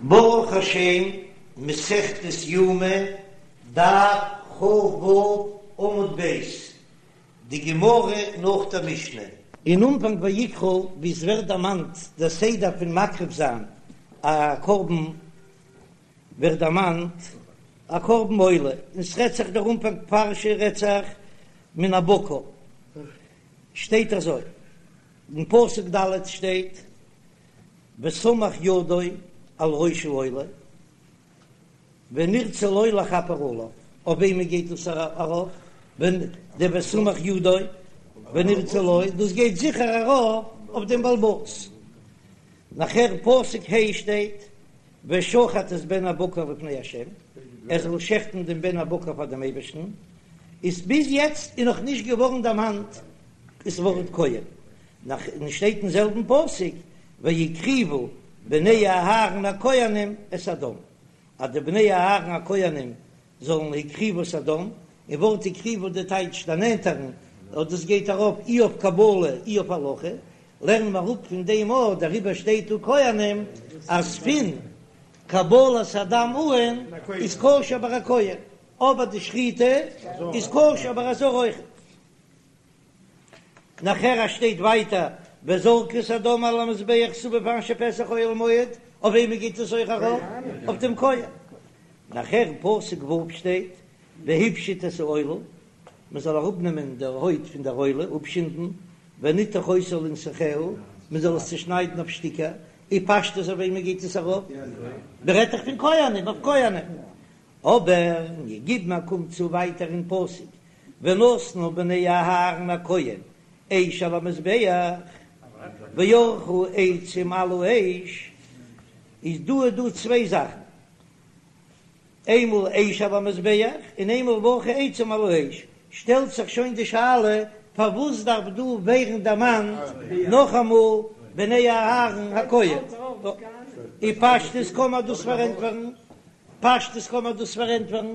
ברוך השם, מסכת יומא, דף כ"ו עמוד ב', די גמרא נאך דער משנה. אין אנפאנג ויקרא ווי עס ווערט דערמאנט דער סדר פון מקריב זיין א קרבן, ווערט דערמאנט א קרבן עולה, און ס'רעדט זיך דער אנפאנג פרשה רעדט זיך מן הבקר, שטייט אזוי, אין פסוק ד' שטייט וסמך ידו על ראש העולה ונרצה לו לכפר עליו, אויף וועמען גייט דאס ארויף? ווען די וסמך ידו ונרצה לו, דאס גייט זיכער ארויף אויף דעם בעל הבית. נאכער פסוק ה' שטייט ושחט את בן הבקר לפני ה', ער זאל שעכטן דעם בן הבקר פאר דעם אייבערשטן, איז ביז יעצט איז נאך נישט געווארן דערמאנט דאס ווארט כהן, נאכדעם שטייט אין זעלבן פסוק והקריבו בני אהרן הכהנים את הדם, אז די בני אהרן הכהנים זאלן הקריבו את הדם, און ווארט הקריבו די טייטש דערנענטערן, און דאס גייט ארויף אי אויף קבלה אי אויף הולכה, לערנען מיר אראפ פון דעם אויך, דעריבער שטייט דא כהנים אז פון קבלת הדם אן איז כשר ביי א כהן, אבער די שחיטה איז כשר ביי א זר אויכעט. נאכער שטייט ווייטער וזרקו את הדם על המזבח סביב אשר פתח אוהל מועד, אויף וועמען גייט עס אויך ארויף? אויף דעם כהן. נאכער פסוק ו' שטייט והפשיט את העולה, מען זאל אראפנעמען דער הויט פון דער עולה, אפשינדן, ונתח אותה לנתחיה, מען זאל עס צושניידן אויף שטיקער, און פשטות אויף וועמען גייט עס ארויף? מען רעדט דאך פון כהנים, אויף כהנים. אבער מיר גיבן א קום צו ווייטער אין פסוק, ונתנו בני אהרן הכהן אש על המזבח, וערכו עצים על האש, איז דא איז דא צוויי זאכן, איינמאל אש על המזבח און איינמאל וערכו עצים על האש, שטעלט זיך שוין די שאלה פארוואס דארף דא ווערן דערמאנט נאכאמאל בני אהרן הכהן, און פשטות קען מען דאס פארענטפערן פשטות קען מען דאס פארענטפערן,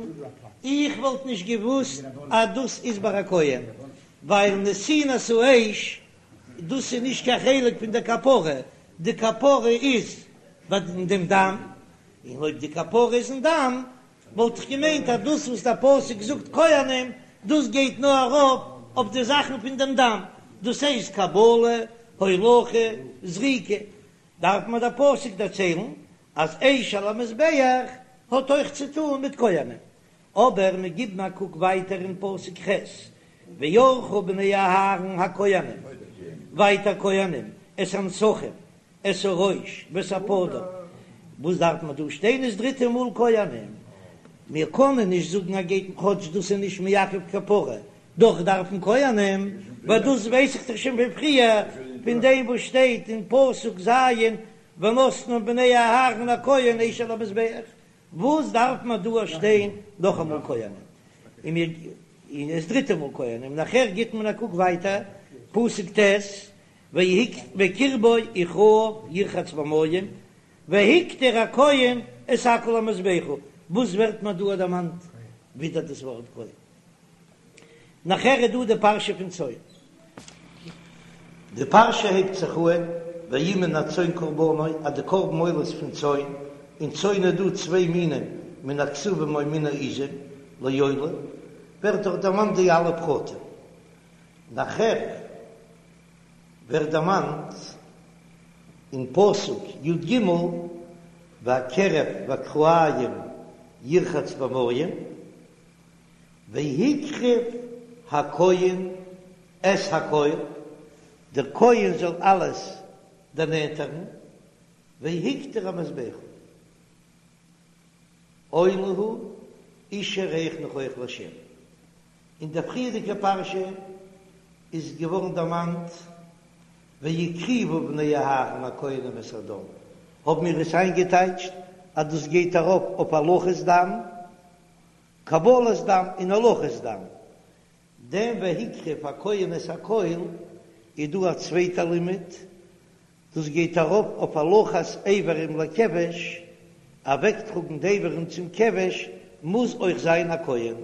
איך וואלט נישט געוואוסט אז דאס איז ביי א כהן, ווייל נתינת האש דאס איז נישט קיין חלק פון די כפרה, די כפרה איז ביי דעם דם, און אויב די כפרה איז אין דם, וואלט איך געמיינט אז דאס וואס דער פסוק זאגט כהנים, דאס גייט נאר ארויף אויף די זאכן פון דעם דם, דאס הייסט קבלה, הולכה, זריקה, דארף מיר דער פסוק דערציילן אז אש על המזבח האט אויך צו טאן מיט כהנים, אבער מיר גיבן א קוק ווייטער אין פסוק ח', וערכו בני אהרן הכהנים, ווייטער כהנים, את הנתחים, את הראש ואת הפדר, וואס דארף מען דא שטיין דאס דריטע מאל כהנים? מיר קענען נישט זאגן אז גייט כאטש דאס איז נישט מעכב כפרה, דאך דארפן כהנים, ווייל דאס ווייס איך דאך שוין פון פריער, פון דעם וואס שטייט אין פסוק ז' ונתנו בני אהרן הכהן אש על המזבח, וואס דארף מען דא שטיין נאכאמאל כהנים, און מיר און דאס דריטע מאל כהנים, נאכער גיט מען א קוק ווייטער פסוק ט' וקרבו וכרעיו ירחץ במים והקטיר הכהן את הכל המזבחה, וואס ווערט מיר דא דערמאנט ווידער דאס ווארט כהן? נאכער איז דא די פרשה פון צאן. די פרשה הייבט זיך אהן ויהי מן הצאן קרבנו אז די קרבן עולות פון צאן, אין צאן איז דא צוויי מינים מן הכשבים או מן העזים לעולה, ווערט דארט דערמאנט די אלע פרטים. נאכער ווערט דערמאנט אין פסוק י ג והקרב והכרעים ירחץ במים, והקריב הכהן את הכל, דער כהן זאל אלעס דערנענטערן, והקטיר המזבחה, עולה הוא אשה ריח ניחוח לה'. אין דער פריערדיגער פרשה איז געווארן דערמאנט והקריבו בני אהרן הכהנים את הדם, האבן מיר עס איינגעטייטשט אז דאס גייט ארויף אויף הולכת דם, קבלת דם און הולכת דם. דעם והקריב הכהן את הכל איז דא א צווייטע לימוד, דאס גייט ארויף אויף הולכת איברים לכבש, אוועקטראגן די איברים צום כבש מוז אויך זיין א כהן.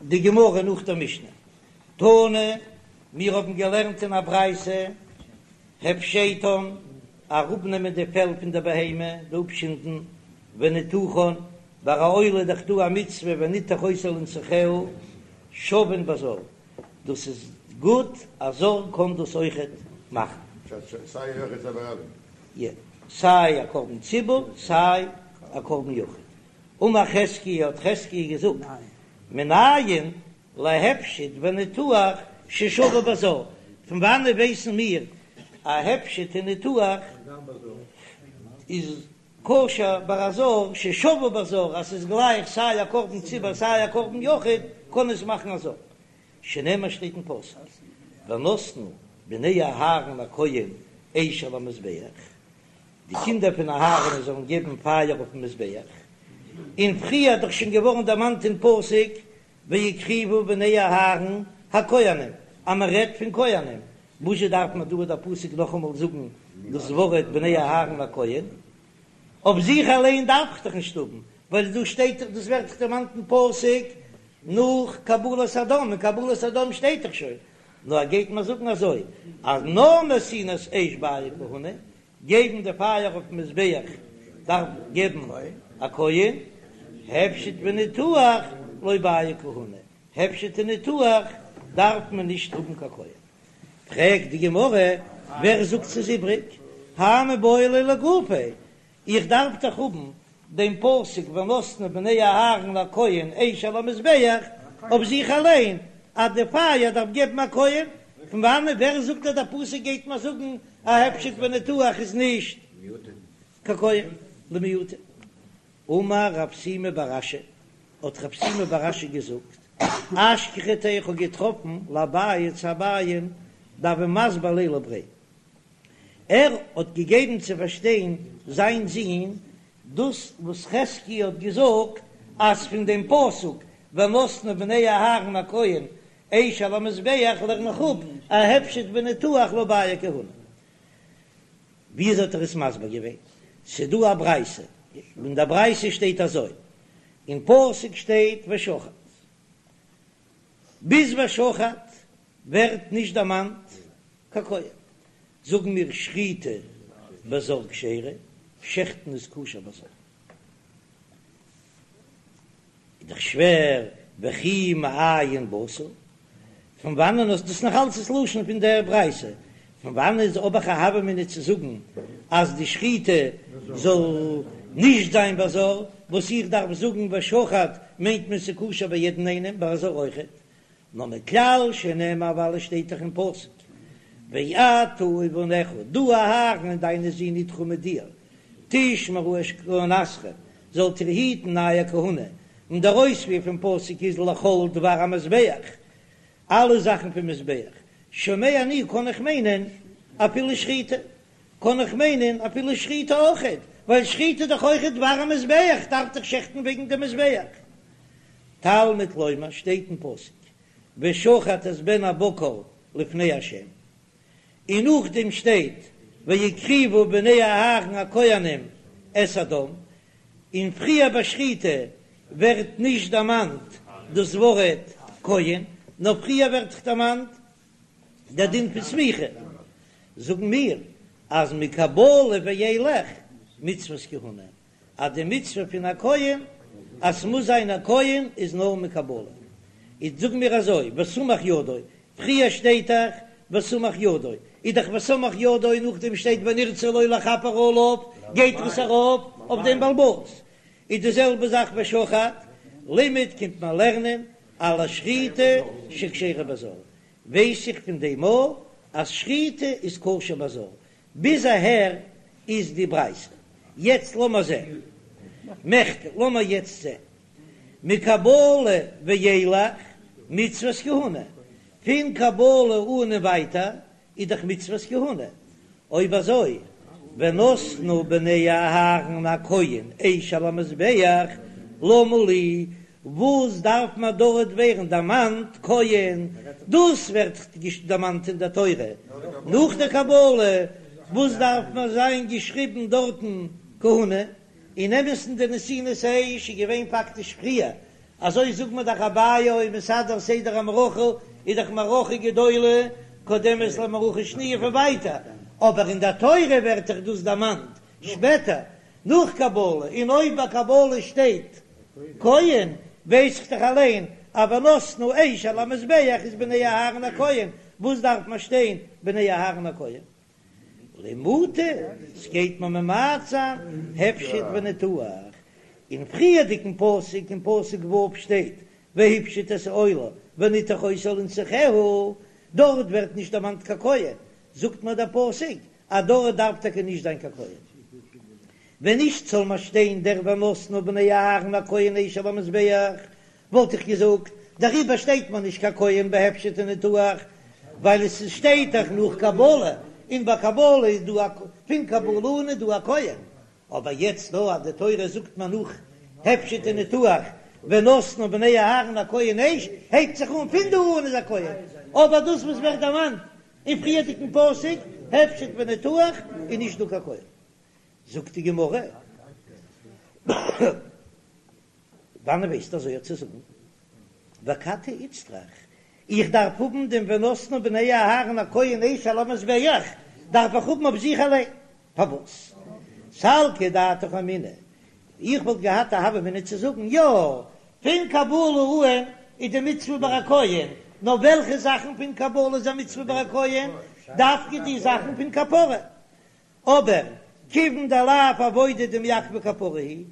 די גמרא נאך דער משנה. תנא, מיר האבן געלערנט אין א ברייתא. הפשטן, אראפנעמען די פעל פון די בהמה, די אפשינדן, וניתוחן, ביי א עולה איז דאך דא א מצוה ונתח אותה לנתחיה, שוין בזר, דאס איז גוט, א זר קען דאס אויכעט מאכן. סיי יחיד סיי ברבים. יא, סיי א קרבן ציבור סיי א קרבן יחיד. אמר חזקיה האט חזקיה געזאגט, מנין להפשט וניתוח ששווה בזר, פון וואנעט ווייסן מיר אז הפשט און ניתוח איז כשר ביי א זר, ששווה בזר אז ס'איז גלייך סיי א קרבן ציבור סיי א קרבן יחיד קען עס מאכן א זר, שנאמר שטייט אין פסוק ונתנו בני אהרן הכהן אש על המזבח, די קינדער פון אהרן זאלן געבן פייער אויפן מזבח, און פריער האט דאך שוין געווארן דערמאנט אין פסוק והקריבו בני אהרן הכהנים, אז מען רעדט פון כהנים, וואזשע דארף מען דא דער פסוק נאכאמאל זאגן דאס ווארט בני אהרן הכהן? אויף זיך אליין דארף איך דאך נישט האבן, ווייל דא שטייט דאס ווערט דאך דערמאנט אין פסוק נאך קבלת הדם, אין קבלת הדם שטייט דאך שוין, נאר ער גייט מיר זאגן אזוי אז נאר נתינת אש בעי כהונה, געבן די פייער אויפן מזבח דארף געבן א כהן, הפשט וניתוח לא בעי כהונה, הפשט און ניתוח דארף מען נישט האבן קיין כהן. פרעגט די גמרא, ווער זאגט ס'איז איבריג? האי מיבעי ליה לגופיה, איך דארף דאך האבן דעם פסוק ונתנו בני אהרן הכהן אש על המזבח אויף זיך אליין, אז די פייער דארף געבן א כהן, פון וואנעט ווער זאגט אז דער פסוק גייט מיר זאגן אז הפשט וניתוח איז נישט קיין כהן למעוטי? אמר רב שימי בר אשי, האט רב שימי בר אשי געזאגט, אשכחתיה איך האב געטראפן לאביי צו אביי'ן דהוה מסביר ליה לבריה, ער האט געגעבן צו פארשטיין זיין זון דאס וואס חזקיה האט געזאגט אז פון דעם פסוק ונתנו בני אהרן הכהן אש על המזבח לערן איך אפ אז הפשט וניתוח לא בעי כהונה. וויאזוי האט ער עס מסביר געווען? ס'דא א ברייתא, אין דער ברייתא שטייט אזוי, אין פסוק שטייט ושחט, ביז ושחט ווערט נישט דערמאנט קיין כהן, זאגן מיר שחיטה בזר כשרה, שעכטן איז כשר בזר. איז דאך שווער, וכי מאין באת? פון וואנען האסט דאס נאך אלץ דאס לשון פון דער ברייתא? פון וואנען איז האב איך א הוה אמינא צו זאגן אז די שחיטה זאל נישט זיין בזר, וואס איך דארף זאגן ושחט מיינט מען ס'כשר ביי יעדן איינעם, ביי א זר אויכעט? נאר מכלל שנאמר ווייל עס שטייט דאך אין פסוק ואתה ובניך, דו אהרן און דיינע זין אתך מיט דיר, תשמרו את כהונתכם, זאלט איר היטן אייער כהונה, און דער אויספיר פון פסוק איז לכל דבר המזבח, אלע זאכן פון מזבח, שומע אני קען איך מיינען אפילו שחיטה, קען איך מיינען אפילו שחיטה אויכעט, ווייל שחיטה איז דאך אויכעט דבר המזבח, דארף דאך שעכטן וועגן דעם מזבח. תלמוד לומר שטייט אין פסוק ושחט את בן הבקר לפני ה', און נאכדעם שטייט והקריבו בני אהרן הכהנים את הדם, און פריער ביי שחיטה ווערט נישט דערמאנט דאס ווארט כהן, נאר פריער ווערט דערמאנט דער דין פון סמיכה, זאגן מיר אז מקבלה ואילך מצוות כהונה, אז די מצוה פון א כהן אז ס'מוז זיין א כהן איז נאר מקבלה. איז זאג מיר אזוי, וסמך ידו, פריער שטייט דאך וסמך ידו, איז דאך וסמך ידו נאכדעם שטייט ונרצה לו לכפר עליו, גייט עס ארויף אויף דעם בעל הבית. איז די זעלבע זאך ושחט, לימד קומט מען לערנען על השחיטה שכשרה בזר, ווייס איך פון דעם אויך אז שחיטה איז כשר בזר, ביז אהער איז די ברייתא. יעצט לאמער זען. מכדי, לאמער יעצט זען. מקבלה ואילך מצוות כהונה. פון קבלה אן און ווייטער איז דאך מצוות כהונה. אויב אזוי, ונתנו בני אהרן הכהן אש על המזבח, למה לי, וואס דארף מען דארט ווערן דערמאנט כהן, דאס ווערט דערמאנט אין דער תורה נאך דער קבלה, וואס דארף מען זיין געשריבן דארטן כהונה? אין אמת'ן די נתינת האש איז געווען פאקטיש פריער, אזוי זאגט מען דאך אביי היה מסדר סדר המערכה איז דאך מערכה גדולה קודמת למערכה שניה פון ווייטער, אבער אין דער תורה ווערט דאך דאס דערמאנט שפעטער נאך קבלה, און אויב ביי קבלה שטייט כהן ווייס איך דאך אליין אז ונתנו אש על המזבח איז בני אהרן הכהן, וואס דארף מען שטיין בני אהרן הכהן? למעוטי, ס'גייט מיר ממעט זיין הפשט וניתוח, אין פריערדיגן פסוק אין פסוק ו' שטייט והפשיט את העולה ונתח אותה לנסכיה, דארט ווערט נישט דערמאנט קיין כהן, זאגט מיר דער פסוק אז דארט דארף טאקע נישט זיין קיין כהן. ווען נישט זאל מיר שטיין דער ונתנו בני אהרן הכהן אש על המזבח, וואלט איך געזאגט, דעריבער שטייט מיר נישט קיין כהן בהפשט וניתוח, ווייל עס שטייט דאך נאך קבלה, און ביי קבלה איז דא א, פון קבלה אן איז דא א כהן, אבער יעצט דא אז די תורה זאגט מיר נאך הפשט וניתוח ונתנו בני אהרן הכהן אש, הייבט זיך אן פון דא אן איז א כהן, אבער דאס וואס ווערט דערמאנט אין פריערדיגן פסוק הפשט וניתוח איז נישט דא קיין כהן. זאגט די גמרא, וואנען ווייסטו אזוי צו זאגן? ואכתי איצטריך, איך דארף האבן דעם ונתנו בני אהרן הכהן אש על המזבח, דארף איך האבן אויף זיך אליין, פארוואס? סלקא דעתך אמינא, איך וואלט געהאט א הוה אמינא צו זאגן, יא, פון קבלה אן איז די מצוה ביי א כהן, נאר וועלכע זאכן פון קבלה איז א מצוה ביי א כהן? דווקא די זאכן פון כפרה, אבער כיוון דלאו עבודה דמעכבא כפרה היא,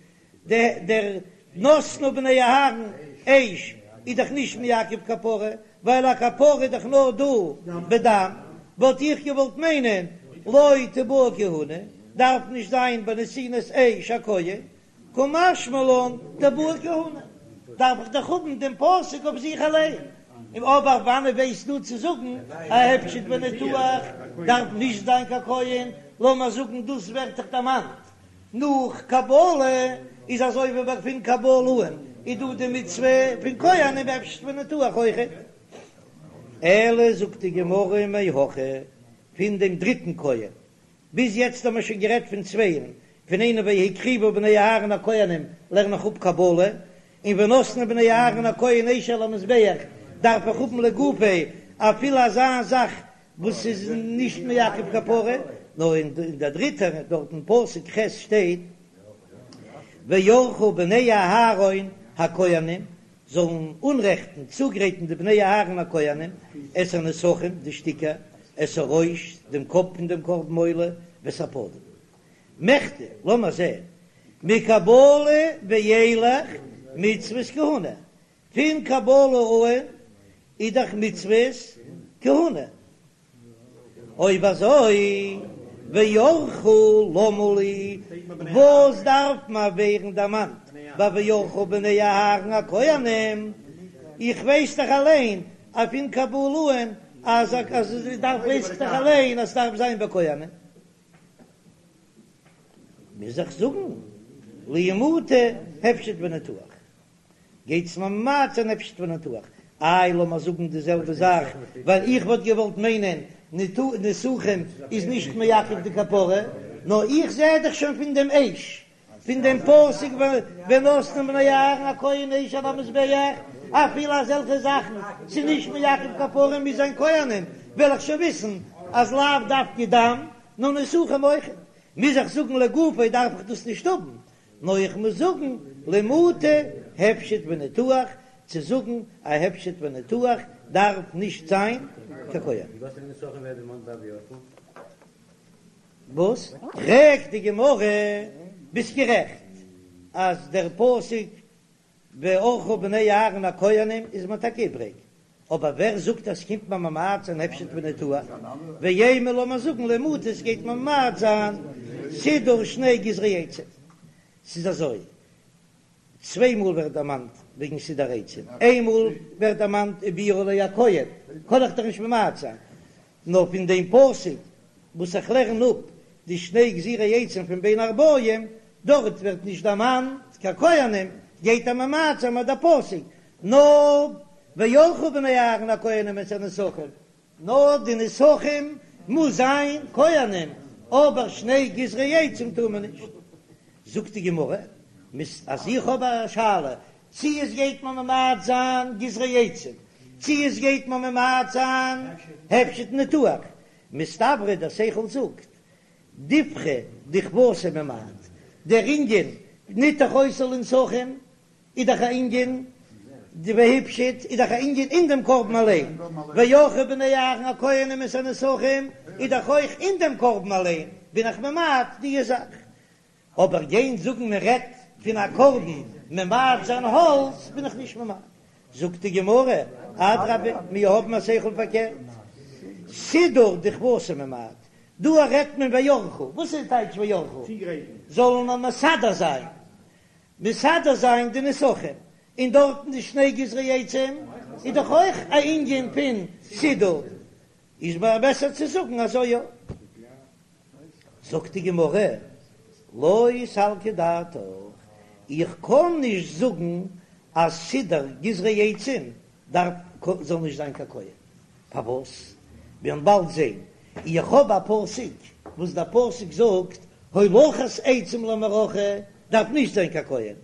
דער ונתנו בני אהרן אש איז דאך נישט מעכב כפרה, ווייל א כפרה איז דאך נאר דא בדם, וואלט איך געוואלט מיינען לא תיבעי כהונה, דארף נישט זיין בנתינת אש א כהן, קא משמע לן דבעי כהונה, דארף איך דאך האבן דעם פסוק אויף זיך אליין, און אבער וואנען ווייסטו צו זאגן א הפשט וניתוח דארף נישט זיין קיין כהן, לאמיר זאגן דאס ווערט דאך דערמאנט נאך קבלה, איז אזוי ווי ביי פון קבלה אן איז דא די מצוה פון כהנים בהפשט וניתוח אויכעט. אלא זאגט די גמרא מהכא פון דעם דריטן כהן ביז יעצט האבן מיר שוין גערעדט פון צווייען, פון איינעם והקריבו בני אהרן הכהנים לערן איך אפ קבלה, און ונתנו בני אהרן הכהן אש על המזבח דארף איך האבן לגופיה אפילו אזא זאך וואס איז נישט מעכב כפרה, נאר אין דער דריטער דארט אין פסוק ח' שטייט וערכו בני אהרן הכהנים זאלן אנרעכטן, צוגרייטן די בני אהרן הכהנים, את הנסכים, די שטיקער, את הראש, דעם קאפ פון דעם קרבן עולה, ואת הפנים. מכדי, לאמיר זען, מקבלה ואילך מצוות כהונה, פון קבלה אן איז דאך מצוות כהונה. אויב אזוי, וערכו למה לי, וואס דארף מיר ווערן דערמאנט ביי וערכו בני אהרן הכהנים, איך ווייס דאך אליין אז פון קבלה אן אז אז דארף ווייס איך דאך אליין אז ס'דארף זיין ביי כהנים. מוז איך זאגן למעוטי הפשט וניתוח. גייט עס ממעט זיין הפשט וניתוח. איי לאמיר זאגן די זעלבע זאך, ווייל איך וואלט געוואלט מיינען נסכים איז נישט מעכב די כפרה, נאר איך זע דאך שוין פון דעם אש, פון דעם פסוק ונתנו בני אהרן הכהן אש על המזבח, אפילו אזעלכע זאכן ס'איז נישט מעכב כפרה מוז זיין כהנים, וועל איך שוין וויסן אז לאו דווקא דם, נאר נסכים אויכעט. מוז איך זאגן לגופו דארף איך דאס נישט האבן, נאר איך מוז זאגן למעוטי הפשט וניתוח, צו זאגן א הפשט וניתוח דארף נישט זיין קיין כהן. וואס? פרעגט די גמרא, ביסט גערעכט אז דער פסוק וערכו בני אהרן הכהנים איז מיר טאקע איבריג, אבער ווער זאגט אז ס'קומט מיר ממעט זיין הפשט וניתוח, ואימא לאמיר זאגן למעוטי עס גייט מיר ממעט זיין סידור שני גזרי עצים, ס'איז אזוי, צוויי מאל ווערט דערמאנט וועגן סידור עצים, איין מאל ווערט דערמאנט ובער עלי הכהן, קען איך דאך נישט ממעט זיין, נאר פון דעם פסוק וואס איך לערן אפ די שני גזירי עצים פון בין הערבים, דארט ווערט נישט דערמאנט קיין כהנים, גייט ער ממעט זיין מיט דער פסוק, נאר וערכו בני אהרן הכהנים את הנסכים, נאר די נסכים מוז זיין כהנים, אבער שני גזרי עצים טאר מען נישט. זאגט די גמרא, אז איך האב א שאלה צי עס גייט מיר ממעט זיין גזרי עצים, צי עס גייט מיר ממעט זיין הפשט ניתוח. מסתברא דער שכל זאגט, דיפכא דכוותה ממעט, דער ענין ניתח אותו לנסכים איז דאך א ענין, די והפשיט איז דאך א ענין אין דעם קרבן אליין, וערכו בני אהרן הכהנים את הנסכים איז דאך אויך אין דעם קרבן אליין, בין איך ממעט די זאך. אבער גיין זאגן מען רעדט פון א קרבן ממעט זיין האלץ בין איך נישט ממעט. זאגט די גמרא, אדרבה מיר האבן א שכל פארקערט, סידור דכוותה ממעט, דא רעדט מען וערכו, וואס איז טייטש וערכו? זאלן מיר מסדר זיין, מסדר זיין די נסכים, און דארטן די שני גזרי עצים איז דאך אויך א ענין פון סידור, איז מיר בעסער צו זאגן אזוי יא. זאגט די גמרא, לא סלקא דעתך, איך קען נישט זאגן אז סידור גזרי עצים דארף זאל נישט זיין קיין כהן, פארוואס? מיר וועלן באלד זען, איך האב א פסוק וואס דער פסוק זאגט הולכת עצים למערכה דארף נישט זיין קיין כהן,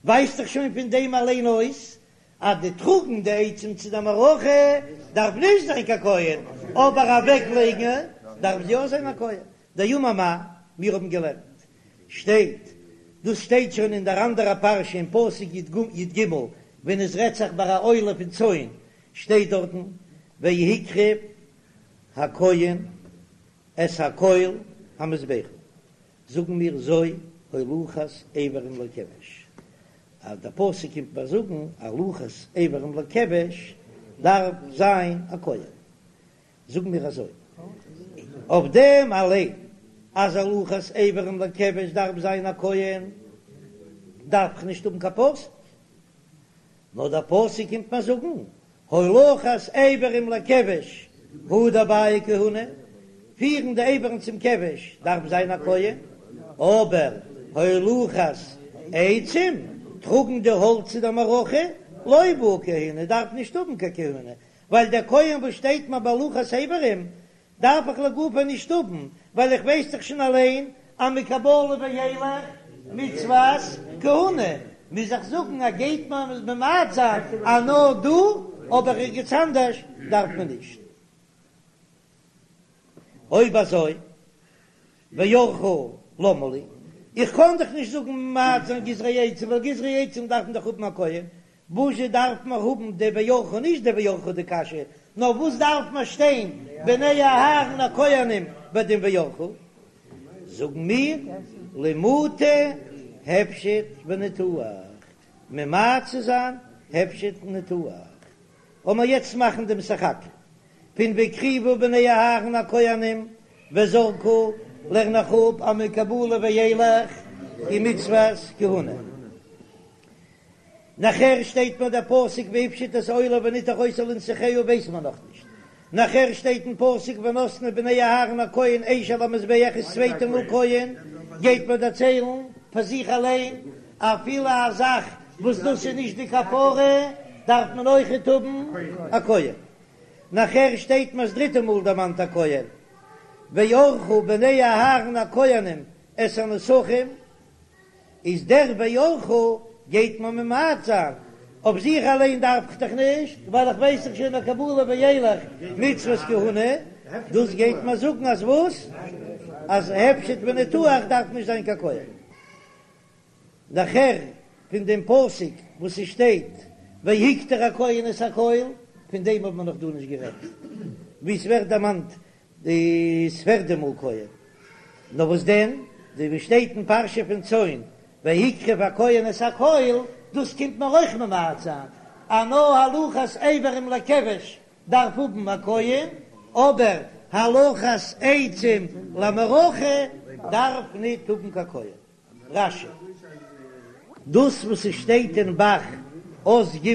ווייזט דאך שוין פון דעם אליין אויס אז די טראגן די עצים צו די מערכה דארף נישט זיין קיין כהן, אבער אוועק לייגן דארף יא זיין א כהן. דאמר מר, מיר האבן געלערנט שטייט, דאס שטייט שוין אין דער אנדערע פרשה אין פסוק י"ג ווען עס רעדט זיך ביי א עולה פון צאן, שטייט דארטן והקריב הכהן את הכל המזבחה, זאגן מיר זו הולכת איברים לכבש, אז דער פסוק קומט מיר זאגן הולכת איברים לכבש דארף זיין א כהן, זאגן מיר אזוי אויף דעם אליין אז הולכת איברים לכבש דארף זיין א כהן דארף איך נישט האבן קיין פסוק, נאר דער פסוק קומט מיר זאגן הולכת איברים לכבש הוא דבעי כהונה, פירן די איברים צום כבש דארף זיין א כהן, אבער הולכת עצים, טראגן די האלץ צו דער מערכה, לא בעי כהונה, דארף נישט האבן קיין כהונה, ווייל דער כהן וואס שטייט מיר ביי הולכת איברים דארף איך לגופו נישט האבן, ווייל איך ווייס דאך שוין אליין אז מקבלה ואילך מצוות כהונה, מוז איך זאגן אז גייט מען ממעט זיין אז נאר דא, אבער ערגעץ אנדערש דארף מען נישט. אויב אזוי וערכו למה לי, איך קען דאך נישט זאגן ממעט זיין גזרי עצים, ווייל גזרי עצים דארף מען דאך האבן א כהן, וואזשע דארף מען האבן די וערכו נישט די וערכו די קשיא, נאר וואס דארף מען שטיין בני אהרן הכהנים ביי דעם וערכו? זאגן מיר למעוטי הפשט וניתוח, ממעט צו זיין הפשט און ניתוח. לאמיר יעצט מאכן דעם סך הכל פון והקריבו בני אהרן הכהנים וזרקו, לערן איך אפ אז מקבלה ואילך איז מצוות כהונה. נאכער שטייט מיר דער פסוק והפשיט את העולה וניתח אותה לנסכיה ווייסט מען נאך נישט, נאכער שטייט אין פסוק ונתנו בני אהרן הכהן אש על המזבח איז צווייטע מאל כהן, גייט מען דערציילן פאר זיך אליין אפילו א זאך וואס דאס איז נישט די כפרה דארף מען אויכעט האבן א כהן, נאכער שטייט מיר ס'דריטע מאל דערמאנט א כהן וערכו בני אהרן הכהנים את הנסכים. איז דער וערכו גייט מען ממעט זיין, אויף זיך אליין דארף איך דאך נישט, ווייל איך ווייס דאך שוין מקבלה ואילך מצוות כהונה, דאס גייט מען זאגן אז וואס? אז הפשט וניתוח דארף נישט זיין קיין כהן. נאכער פון דעם פסוק וואס עס שטייט והקטיר הכהן את הכל, פון דעם האט מען נאך דא נישט גערעדט, ווי עס ווערט דערמאנט די פערדע מאל כהן. נאר וואס דען, די ווי שטייט אין פרשה פון צאן, והקריב הכהן את הכל, דאס קומט מיר אויך ממעט זיין, אז נאר הולכת איברים לכבש דארף האבן א כהן, אבער הולכת עצים למערכה דארף ניט האבן קיין כהן. רש"י. דאס וואס עס שטייט אין ב"ח אות ג'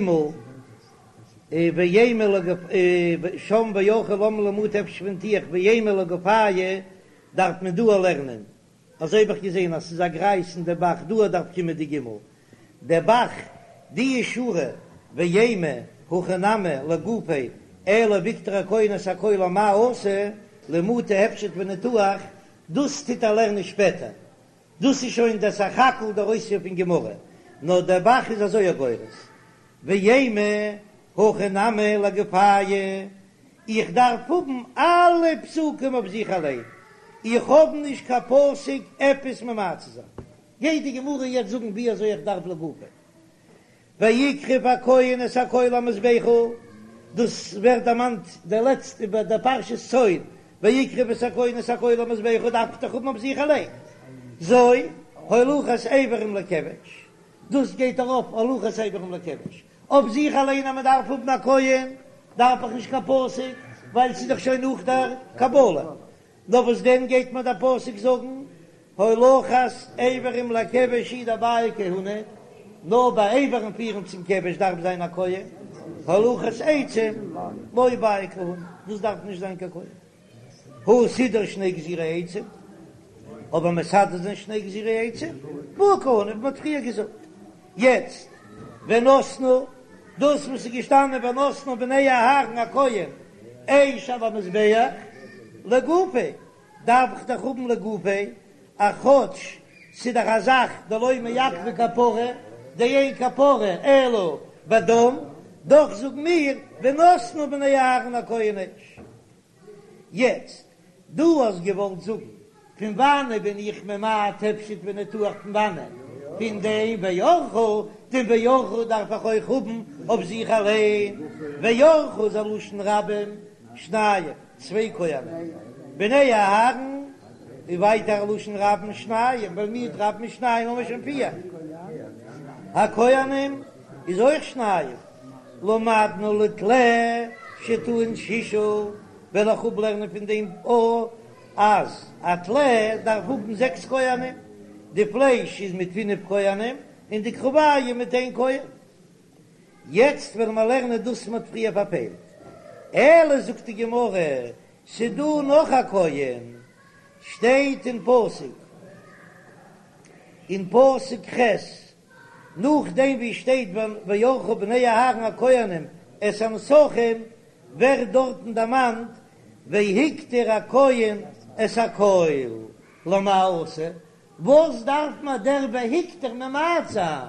ואימא שם וערכו למה לי למעוטי הפשט וניתוח ואימא לגופייהו דארף מען דא לערנען, אזוי האב איך געזען אז ס'איז א גרייז אין די ב"ח דא דארף קומען די ג' די ב"ח די שורה ואימא הכי נמי לגופיה אלא והקטיר הכהן את הכל אמאי אתא למעוטי הפשט וניתוח דאס טוט ער לערנען שפעטער, דאס איז שוין דער סך הכל דער אויספיר פון גמרא, נאר דער ב"ח איז אזוי א גורס, ואימא הכי נמי לגופייהו. איך דארף האבן אלע פסוקים אויף זיך אליין, איך האב נישט קיין פסוק עפעס ממעט צו זיין. גייט די גמרא יעצט זאגן ווי אזוי איך דארף לגופו. והקריב הכהן את הכל המזבחה, דאס ווערט דערמאנט די לעצטע ביי די פרשת צאן, והקריב את הכהן את הכל המזבחה דארף איך דאך האבן אויף זיך אליין, זו הולכת אברים לכבש, דאס גייט ארויף הולכת אברים לכבש, אויף זיך אליין אז מען דארף האבן א כהן דארף איך נישט קיין פסוק ווייל ס'איז דאך שוין נאך דער קבלה, נאר וואס דען גייט מיר דער פסוק זאגן הולכת איברים לכבש הוא דבעי כהונה, נאר ביי איברים פירן צום כבש דארף זיין א כהן, הולכת עצים לא בעי כהונה, דאס דארף נישט זיין קיין כהן. הא סידור שני גזירי עצים, אבער מסדר זיין שני גזירי עצים, בעי כהונה ווי מ'האט פריער געזאגט. יעצט ונתנו, דאס וואס איז געשטאנען ונתנו בני אהרן הכהן אש על המזבח לגופיה, דארף איך דאך האבן לגופיה, א כאטש ס'איז דאך א זאך דלא מעכבא כפרה, דאין כפרה אלא בדם, דאך זאגן מיר ונתנו בני אהרן הכהן אש. יעצט, דו האסט געוואלט זאגן פון וואנען בין איך ממעט הפשט וניתוח פון וואנען? פון דעם וערכו, דעם וערכו דארף איך אויך האבן אויף זיך אליין, וערכו איז א לשון רבים, שניים, צוויי כהנים, בני אהרן איז ווייטער א לשון רבים שניים, ווייל מיעוט רבים איז שניים האבן מיר שוין פיר, הכהנים איז אויך שניים. למדנו לטלה שטעון ששה, וועל איך אפלערנען פון דעם א אז א טלה דארף האבן זעקס כהנים, די פלייש איז מיט פינף כהנים און די קרביים מיט איין כהן. יעצט וועלן מיר לערנען דאס מ'האט פריער פארפעלט. אלא זאגט די גמרא, ס'דא נאך א כהן, שטייט אין פסוק, אין פסוק ח', נאכדעם ווי שטייט וערכו בני אהרן הכהנים את הנסכים, ווערט דארטן דערמאנט והקטיר הכהן את הכל, למאי אתא, וואס דארף מיר דער והקטיר ממעט זיין?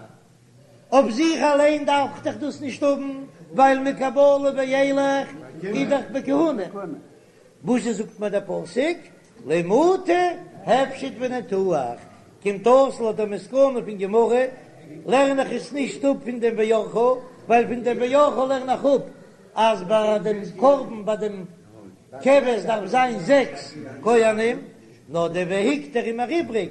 אויף זיך אליין דארף איך דאך דאס נישט האבן, ווייל מקבלה ואילך איז דאך בכהונה. וואס זאגט מיר דער פסוק למעוטי הפשט וניתוח, קומט אויס לויט דער מסקנא פון גמרא לערן איך עס נישט אפ פון דעם וערכו, ווייל פון דעם וערכו לערן איך אפ אז ביי דעם קרבן ביי דעם כבש דארף זיין זעקס כהנים, נאר דער והקטיר איז מיר איבריג,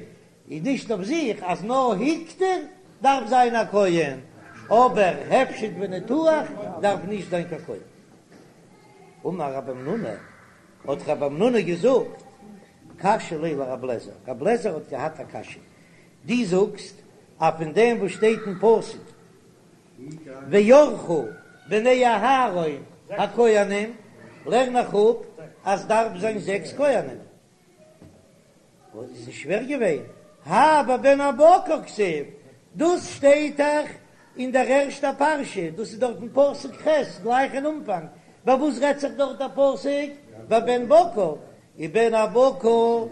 איז נישט אויף זיך אז נאר הקטיר דארף זיין א כהן, אבער הפשט וניתוח דארף נישט זיין קיין כהן. אמר רב המנונא, האט רב המנונא געזאגט, קשיא ליה לרב לעזער, רב לעזער האט געהאט א קשיא, דו זאגסט אז פון דעם וואס שטייט אין פסוק וערכו בני אהרן הכהנים לערן איך אפ אז דארף זיין זעקס כהנים, וואס איז שווער געווען? האי בבן הבקר כתיב, דאס שטייט דאך אין דער ערשטער פרשה, דאס איז דארט אין פסוק ח' גלייך אין אנפאנג, ביי וואס רעדט זיך דארט דער פסוק? ביי בן בקר, ובן הבקר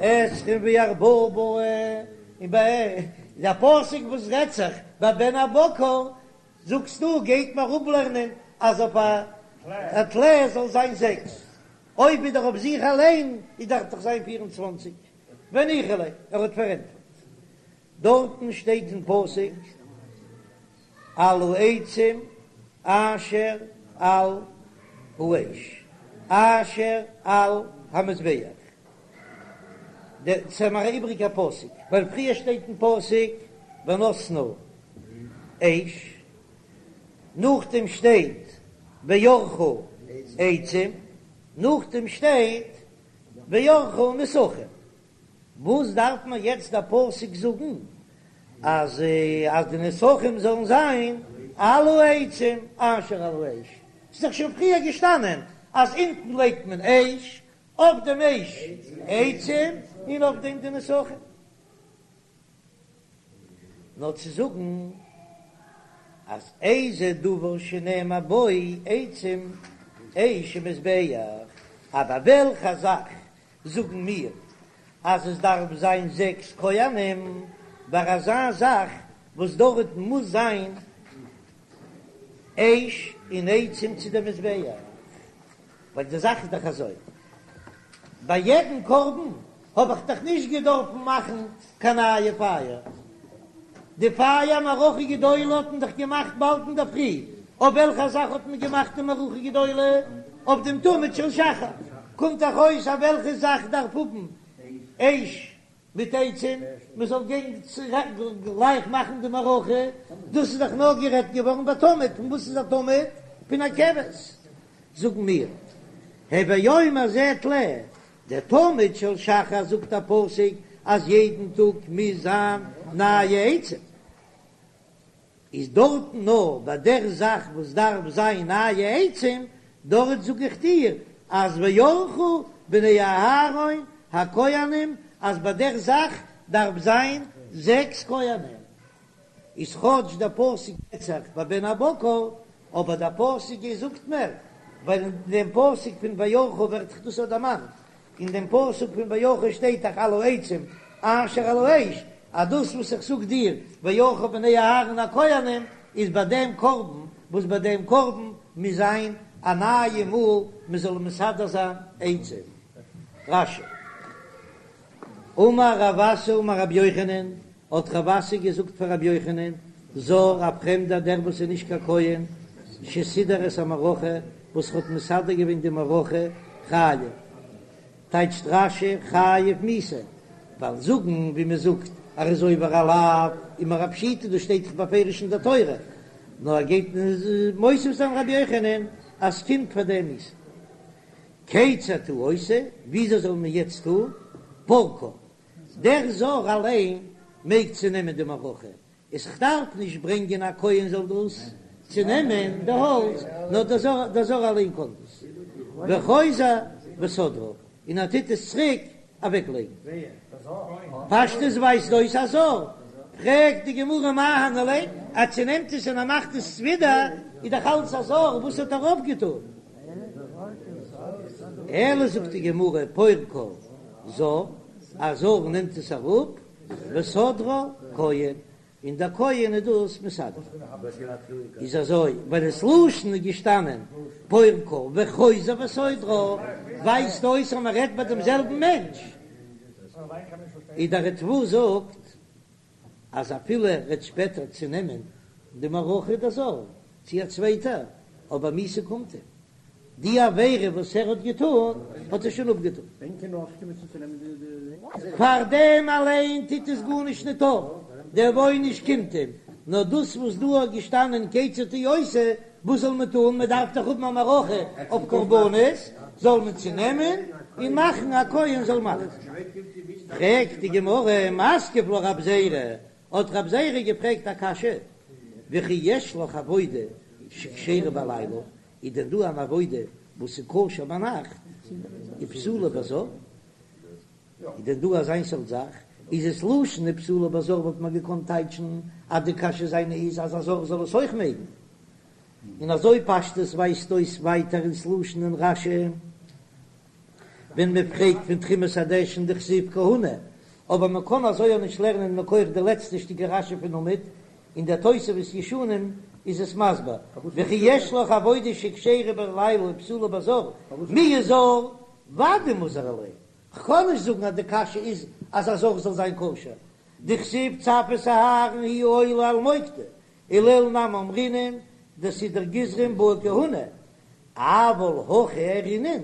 עשרים וארבעה בעי, און ביי דער פסוק וואס רעדט זיך ביי בן הבקר, זאגסטו גייט מיר אפלערנען אז אויף א טלה זאל זיין זעקס, אויב איז דאך אויף זיך אליין איז דארף דאך זיין 24 וניחא ליה, ער האט פארענטפערט דארטן שטייט אין פסוק על העצים אשר על האש אשר על המזבח, דאס איז מיר א איבריגע פסוק ווייל פריער שטייט אין פסוק ונתנו אש נאכדעם שטייט וערכו עצים, נאכדעם שטייט וערכו נסכים. וואס דארף מען יעצט דער פסוק זאגן אז אז די נסכים זאלן זיין על העצים אשר על האש? ס'איז דאך שוין פריער געשטאנען אז אונטן לייגט מען אש, אויף דעם אש עצים, און אויף דעם די נסכים. נאר צו זאגן אז איזה דבר שנאמר בו עצים אש ומזבח, אבער וועלכע זאך זאגן מיר אז עס דארף זיין זעקס כהנים ביי אזא זאך וואס דארט מוז זיין אש און עצים צו די מזבח? ווייל די זאך איז דאך אזוי, ביי יעדן קרבן האב איך דאך נישט געדארפן מאכן קיין נייע פייער, די פייער מערכה גדולה האט מען דאך געמאכט באלד אינדערפרי, אויף וועלכע זאך האט מען געמאכט די מערכה גדולה? אויף דעם תמיד של שחר, קומט דאך אויס אז וועלכע זאך דארף האבן אש מיט עצים, מען זאל גיין גלייך מאכן די מערכה, דאס איז דאך נאר גערעדט געווארן ביי תמיד, פון וואס איז א תמיד? פון א כבש, זאגן מיר, הוי אומר זה טלה, דער תמיד של שחר זאגט א פסוק אז יעדן טאג מוז זיין נייע עצים, איז דארטן נאר ביי דער זאך וואס דארף זיין נייע עצים, דארט זאג איך דיר אז וערכו בני אהרן הכהנים אז ביי דער זאך דארף זיין זעקס כהנים, איז כאטש דער פסוק רעדט זיך ביי בן הבקר, אבער דער פסוק זאגט מער, ווייל אין דעם פסוק פון וערכו ווערט דאך דאס דערמאנט, אין דעם פסוק פון וערכו שטייט דאך על העצים אשר על האש, אז דאס וואס איך זאג דיר וערכו בני אהרן הכהנים איז ביי דעם קרבן, וואס ביי דעם קרבן מוז זיין א נייע מאל מען זאל מסדר זיין עצים. רש"י. אמר רב אסי אמר רבי יוחנן, האט רב אסי געזאגט פאר רבי יוחנן, זר, א פרעמדער דער וואס איז נישט קיין כהן, שסידר את המערכה, וואס האט מסדר געווען די מערכה, חייב. טייטשט רש"י חייב מיתה, ווייל זאגן ווי מען זאגט ער איז עובר א לאו איז מיר א פשיטא, דאס שטייט דאך בפירוש אין דער תורה, נאר ער גייט מוסיף זיין רבי יוחנן אז ס'קומט פאר דעם מיתה. כיצד הוא עושה, וויאזוי זאל מען יעצט טון? פורקה, דער זר אליין מעג צונעמען די מערכה, איז כ'דארף נישט ברענגען א כהן זאל דאס צונעמען די האלץ, נאר דער זר אליין קען דאס, וחוזר וסודרה, און ער טוט עס צוריק אוועק לייגן. פשטות ווייזט אויס א זר, פרעגט די גמרא מאי אהני ליה, ער צונעמט עס און ער מאכט עס ווידער, איז דאך אלץ א זר, וואס האט ער אויפגעטון? אלא זאגט די גמרא פורקה זר, א זר נעמט עס אראפ, וסודרה כהן, און דער כהן איז דאס מסדר. איז אזוי, ווייל דאס לשון איז געשטאנען פורקה וחוזר וסודרה, ווייזט אויס אז מען רעדט ביי דעם זעלבן מענטש. איז דער ריטב"א זאגט אז אפילו ער וועט שפעטער צונעמען די מערכה דער זר צו א צווייטער, אבער מיתה קומט אים. די עבירה וואס ער האט געטון האט ער שוין אפגעטון. פאר דעם אליין טוט עס גארנישט ניט אויף, דער עונש קומט אים, נאר דאס וואס דא האט געשטאנען כיצד הוא עושה, וואס זאל מען טון, מען דארף דאך האבן א מערכה אויף קרבנות, זאל מען צונעמען און מאכן א כהן זאל מאכן. פרעגט די גמרא, מתקיף לה רב זירא, האט רב זירא געפרעגט א קשיא, וכי יש לך עבודה שכשרה בלילה, איז דען דא אן עבודה וואס איז כשר ביינאכט ופסולה בזר? איז דען דא אזיין סארט זאך? איז עס לשון ופסולה בזר וואלט מען געקאנט טייטשן אז די קשיא זיינע איז אז א זר זאל עס אויך מעגן, און אזוי פשטות ווייזט אויס ווייטער אין ס'לשון אין רש"י. ווען מען פרעגט פון תרומת הדשן דכתיב כהונה, אבער מען קען אזוי אויך נישט לערנען מכח די לעצטע שטיקל רש"י פון עמוד, אין דער תוספות ישנים איז עס מסביר, וכי יש לך עבודה שכשרה בלילה ופסולה בזר, מיהו זר ודאי מוזהר ליה, כ'קען נישט זאגן אז די קשיא איז אז א זר זאל זיין כשר, דכתיב צו את אהרן היא העולה על מוקדה, ולעיל נמי אמרינן דסידור גזרים בעי כהונה, אבל הכא אהרינן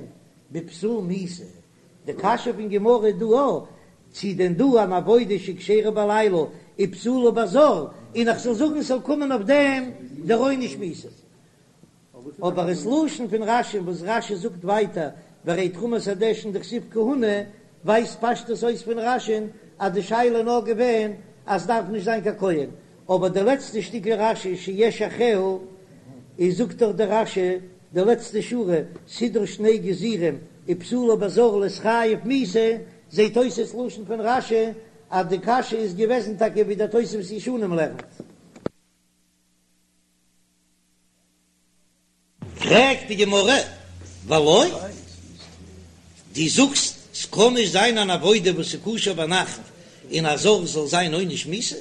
בפסול מיתה, די קשיא פון גמרא איז דא א, צו דען דא אן עבודה שכשרה בלילה ופסולה בזר, און איך זאל זאגן ס'זאל קומען אויף דעם דער עונש מיתה. אבער עס לשון פון רש"י וואס רש"י זאגט ווייטער והרי תרומת הדשן דכתיב כהונה ווייזט פשטות אויס פון רש"י'ן אז די שאלה איז נאר געווען אז ס'דארף נישט זיין קיין כהן, אבער די לעצטע שטיקל רש"י שיש אחריה איז זאגט דאך דער רש"י די לעצטע שורה סידרה שני גזירים ופסולה בזר להתחייב מיתה, זעהט אויס עס לשון פון רש"י אז די קשיא איז געוועזן טאקע ווי דער תוספות ישנים לערנט. פרעגט די גמרא, ולא, דו זאגסט ס'קען נישט זיין אן עבודה וואס איז כשר ביינאכט און א זר זאל זיין עונש מיתה,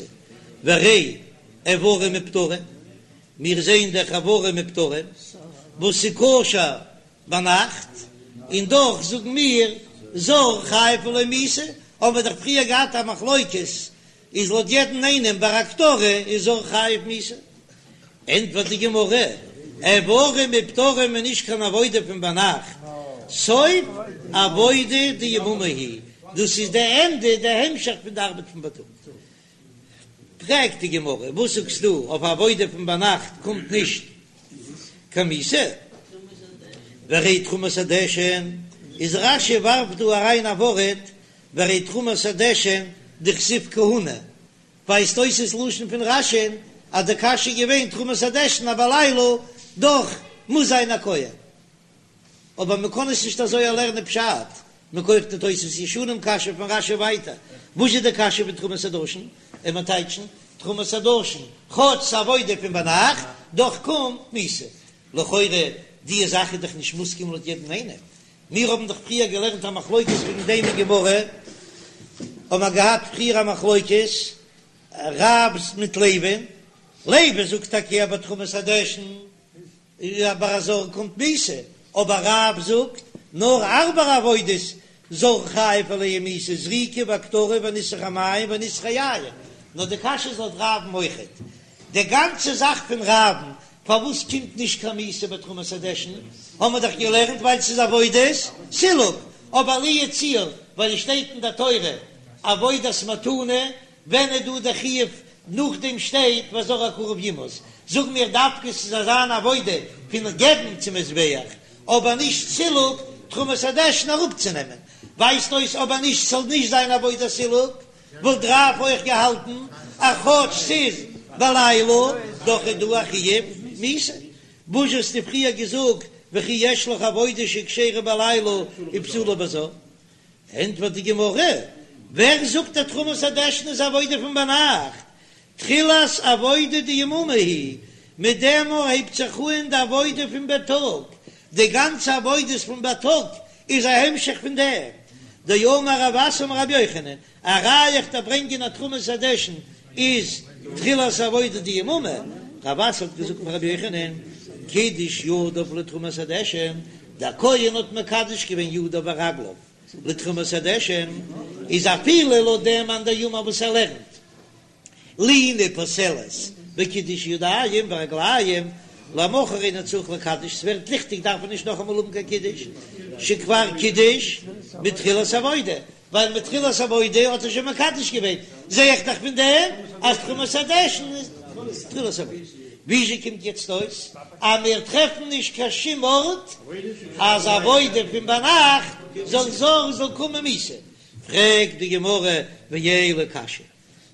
והרי איברים ופטרים, מיר זעען דאך איברים ופטרים וואס איז כשר. ביינאכט, און דאך זאגן מיר זר חייב עליה מיתה, האבן מיר דאך פריער געהאט א מחלוקת, איז לויט יעדן איינעם ביי הקטרה איז זר חייב מיתה. ענטפערט די גמרא, איברים ופטרים איז נישט קיין עבודה פון ביינאכט, סוף עבודה דיממא היא, דאס איז די ענדע, די המשך פון די ארבעט פון בייטאג. פרעגט די גמרא, וואס זאגסטו אויף עבודה פון ביינאכט קומט נישט קיין מיתה? והרי תרומת הדשן, איז רש"י ווארפט דא אריין א ווארט והרי תרומת הדשן דכתיב כהונה, ווייזט אויס עס לשון פון רש"י'ן אז די קשיא איז געווען תרומת הדשן אז בלילה דאך מוז זיין א כהן. אבער מען קען עס נישט אזוי לערנען פשט, מכח די תוספות ישנים קשיא פון רש"י ווייטער, וואס איז די קשיא פון תרומת הדשן? און מען טייטשן תרומת הדשן כאטש ס'איז עבודה פון ביינאכט, דאך קומט מיתה. לכאורה די זאך איז דאך נישט מוסכם לויט יעדן איינעם, מיר האבן דאך פריער געלערנט א מחלוקת וועגן דעם אין גמרא, האבן מיר געהאט פריער א מחלוקת רב מיט לוי'ן, לוי זאגט טאקע אז ביי תרומת הדשן ביי א זר קומט מיתה, אבער רב זאגט נאר הארבע עבודות זר חייב עליהם מיתה זריקה והקטרה וניסוך המים וניסוך היין, נאר די קשיא איז לויט רב'ן אויכעט די גאנצע זאך פון רב'ן פארוואס קומט נישט קיין מיתה ביי תרומת הדשן האמער דאך געלערנט ווייל ס'איז עבודת סילוק, אבער לו יצוייר ווייל עס שטייט אין די תורה עבודת מתנה ווען איז דא די חיוב נאכדעם שטייט והזר הקרב יומת, זאג מיר דווקא ס'זאל זיין עבודה פון געבן צום מזבח, אבער נישט סילוק תרומת הדשן אראפצונעמען, ווייזט אויס אבער נישט ס'זאל נישט זיין עבודת סילוק, וואלט רב אויך געהאלטן אז כאטש ס'איז בלילה דאך איז דא א חיוב מיתה, וואס האסטו פריער געזאגט וכי יש לך עבודה שכשרה בלילה ופסולה בזר? ענטפערט די גמרא, ווער זאגט אז תרומת הדשן איז עבודה פון ביינאכט? תחילת עבודה דיממא היא, מיט דעם מאל הייבט זיך אהן די עבודה פון בייטאג, די גאנצע עבודות פון בייטאג איז א המשך פון דעם, דאמר רב אסי אמר רבי יוחנן, א ראיה איך דארף ברענגען אז תרומת הדשן איז תחילת עבודה דיממא, רב אסי האט געזאגט פאר רבי יוחנן, קידש ידיו לתרומת הדשן, דער כהן האט מקדש געווען ידיו ורגליו לתרומת הדשן, איז אפילו לויט דעם מאן דאמר וואס ער לערנט לינה פוסלת בקידוש ידיים ורגליים, למחר אינו צריך לקדש, ס'ווערט ליכטיג דארף מען נישט נאכאמאל האבן קיין קידוש, שכבר קידש מתחילת עבודה, ווייל מתחילת עבודה האט ער שוין מקדש געווען, זע איך דאך פון דעם אז תרומת הדשן איז תחילת עבודה. וויאזוי קומט יעצט אויס אז מיר טרעפן נישט קיין שום ארט אז עבודה פון ביינאכט זאל זר זאל קומען מיתה? פרעגט די גמרא ואלא קשיא,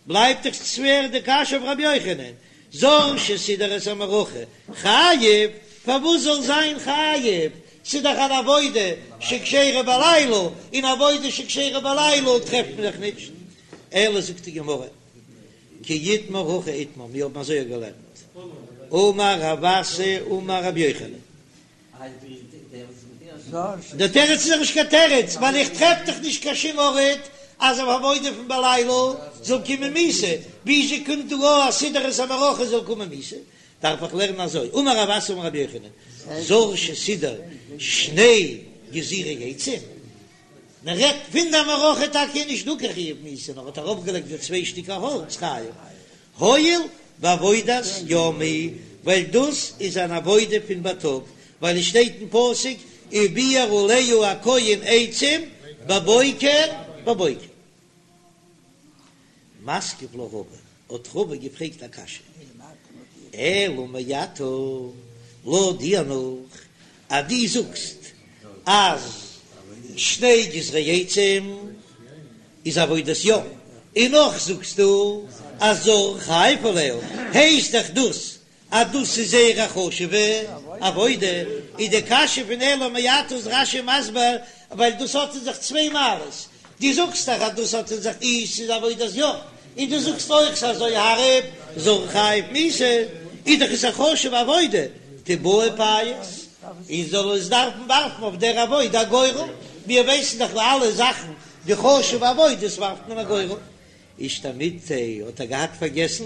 בלייבט דאך שווער די קשיא אויף רבי יוחנן, זר שסידר את המערכה חייב, פארוואס זאל זיין חייב, ס'איז דאך אן עבודה שכשרה בלילה, און עבודה שכשרה בלילה טרעפט מען דאך נישט, אלא זאגט די גמרא, כי איתמר הכי איתמר, מיר האבן אזוי געלערנט, אמר רב אסי אמר רבי יוחנן, דער תירוץ איז דאך נישט קיין תירוץ, ווייל איך טרעף דאך נישט קיין שום ארט אז אויף עבודה פון בלילה זאל קומען מיתה, וויאזוי קומט דא אויס אז סידר את המערכה זאל קומען מיתה? דארף איך לערנען אזוי, אמר רב אסי אמר רבי יוחנן, זר שסידר שני גזירי עצים, מען רעדט פון די מערכה טאקע איז נישט דא קיין חיוב מיתה נאר האט ארויפגעלייגט די צוויי שטיקער האלץ חייב הואיל ועבודת יום היא ווייל דאס איז אן עבודה פון בייטאג ווייל עס שטייט אין פסוק ובער עליה הכהן עצים בבוקר בבוקר. מתקיף לה רבא, האט רבא געפרעגט א קשיא, אלא מעתה, לויט דיר נאך אז דו זאגסט אז שני גזרי עצים איז עבודת יום, און נאך זאגסטו אז זר חייב עליה, הייסט דאך דאס אז דאס איז זייער א חשוב'ע עבודה, איז די קשיא פון אלא מעתה איז רש"י מסביר ווייל דאס האט אין זיך צוויי מעלות, דו זאגסט דאך אז דאס האט אין זיך אי ס'איז עבודת יום, און דו זאגסט אויך ס'איז אזוי הארב זר חייב מיתה, איז דאך עס א חשוב'ע עבודה, תיבעי פייס, און זאל עס דארפן ווארפן אויף דער עבודה א גורל, מיר ווייסן דאך ביי אלע זאכן די חשוב'ע עבודות ווארפט מען א גורל. אישתמיטתיה האט ער געהאט פארגעסן.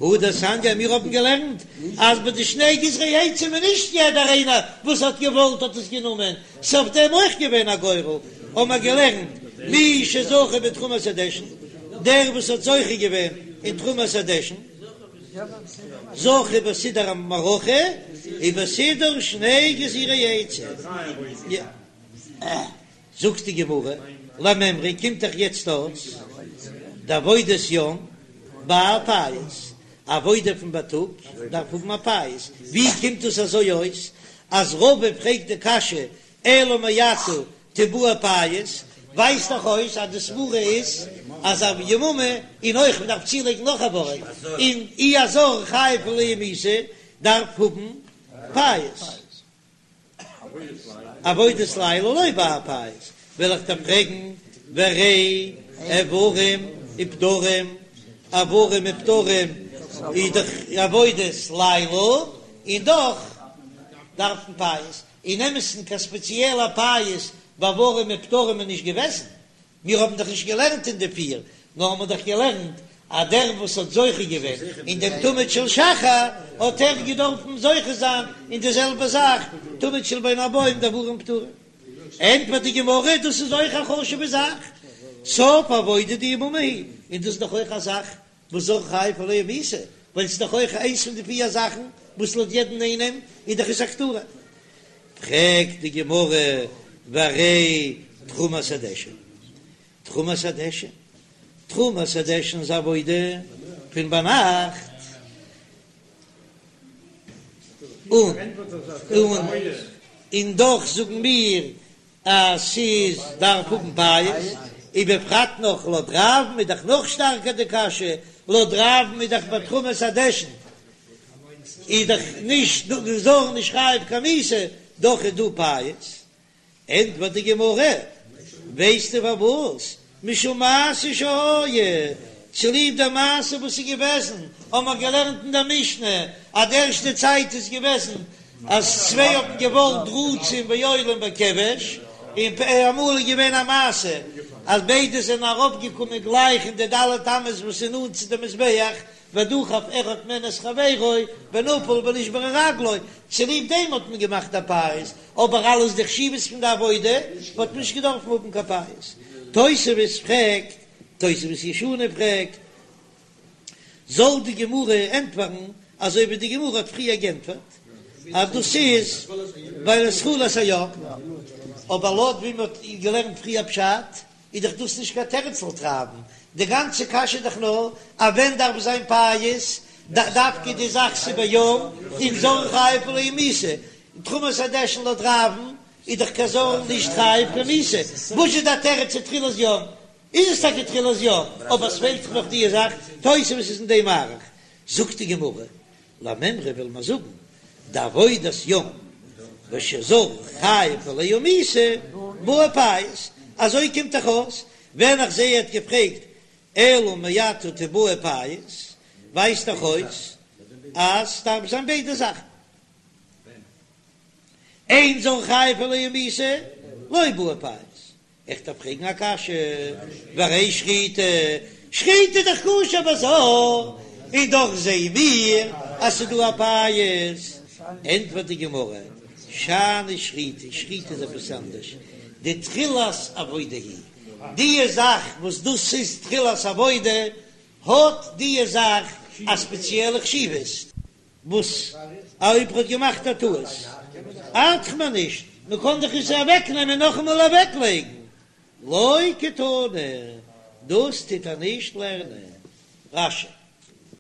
הא דתניא, מיר האבן געלערנט אז ביי די שני גזרי עצים איז נישט יעדער איינער וואס האט געוואלט האט עס גענומען, ס'איז אויף דעם אויך געווען א גורל, האבן מיר געלערנט מי שזכה בתרומת הדשן, דער וואס האט זוכה געווען אין תרומת הדשן, זכה בסידור המערכה ובסידור שני גזירי עצים. זאגט די גמרא, למימרא קומט דאך יעצט אויס דעבודת יום בעי פייס, עבודה פון בייטאג דארף האבן א פייס, ווי קומט דאס אזוי אויס אז רבא פרעגט די קשיא אלא מעתה תיבעי פייס, ווייזט דאך אויס אז די סברה איז אז א יממה, און אויך מ'דארף צולייגן נאך א ווארט, און אי א זר חייב עליה מיתה דארף האבן פייס. עבודת לילה לא בעי פייס, וועל איך דיר פרעגן, והרי איברים ופדרים, איברים ופדרים איז דאך עבודת לילה, און דאך דארף מען פייס, אין אמת'ן קיין ספעציעלע פייס ביי איברים ופדרים איז נישט געוועזן, מיר האבן דאך נישט געלערנט אין די פיר, נאר האבן דאך געלערנט אז דער וואס האט זוכה געווען אין דעם תמיד של שחר האט ער געדארפן זוכה זיין אין די זעלבע זאך תמיד של בין הערבים די איברים ופדרים. ענטפערט די גמרא, דאס איז אויך א חשוב'ע זאך, סוף עבודה דיממה היא, און דאס איז דאך אויך א זאך וואס זר חייב עליה מיתה, ווייל ס'איז דאך אויך איינס פון די פיר זאכן וואס לויט יעדן איינעם איז דאך עס א קטורה. פרעגט די גמרא, והרי תרומת הדשן, תרומת הדשן, תרומת הדשן איז עבודה פון ביינאכט, און און און דאך זאגן מיר אז ס'איז דארף האבן פייס, ובפרט נאך לויט רב'ן איז דאך נאך שטארקער די קשיא, לויט רב'ן איז דאך ביי תרומת הדשן איז דאך נישט די זר נישט חייב קיין מיתה, דאך איז דא פייס. ענטפערט די גמרא, ווייסטו פארוואס? משום מעשה שהיה, צוליב די מעשה וואס איז געוועזן, האבן מיר געלערנט אין דער משנה אז די ערשטע צייט איז געוועזן אז צוויי האבן געוואלט רצים ועולים בכבש, און אמאל איז געווען א מעשה אז ביידע זענען ארויפגעקומען גלייך אין די ד' אמות וואס איז נאנט צו די מזבח, ודחף אחד מהן את חברו ונפל ונשברה רגלו, צוליב דעם האט מען געמאכט א פייס, אבער אלעס די חשיבות פון די עבודה האט מען נישט געדארפן האבן קיין פייס. תוספות פרעגט, תוספות ישנים פרעגט, זאל די גמרא ענטפערן אזוי ווי די גמרא האט פריער גענטפערט אז דאס איז ווייל עס תחילת היום, אבער לויט ווי מען האט געלערנט פריער פשט איז דאך דאס נישט קיין תירוץ לויט רב'ן, די גאנצע קשיא איז דאך נאר אז ווען דארף זיין פייס, דווקא די זאך ס'איז ביום און זר חייב עליה מיתה, תרומת הדשן לויט רב'ן איז דאך קיין זר נישט חייב קיין מיתה, וואס איז די תירוץ צו תחילת יום? איז עס טאקע תחילת יום, אבער עס פעלט זיך נאך די זאך, תוספות איז אין דעם מאריך, זאגט די גמרא, למימרא וויל מען זאגן, דעבודת יום ושזר חייב עליה מיתה בעי פייס, אזוי קומט דאך אויס, ווען איך זעה ער האט געפרעגט אלא מעתה תיבעי פייס, ווייזט דאך אויס אז ס'דארף זיין ביידע זאכן. אין זר חייב עליה מיתה לא בעי פייס, איך דארף פרעגן א קשיא, והרי שחיטה, שחיטה איז דאך כשר בזר, און דאך זעען מיר אז ס'איז דא א פייס, ענטפערט די גמרא, שאני שחיטה, שחיטה איז עפעס אנדערש, דתחילת עבודה היא, די זאך וואס דאס איז תחילת עבודה, האט די זאך א ספעציעלע חשיבות. וואס אויב ער האט געמאכט א טעות ארט מיר נישט, מען קען דאך עס אוועק נעמען נאכאמאל אוועק לייגן, לא קתני, דאס טוט ער נישט לערנען. רש"י.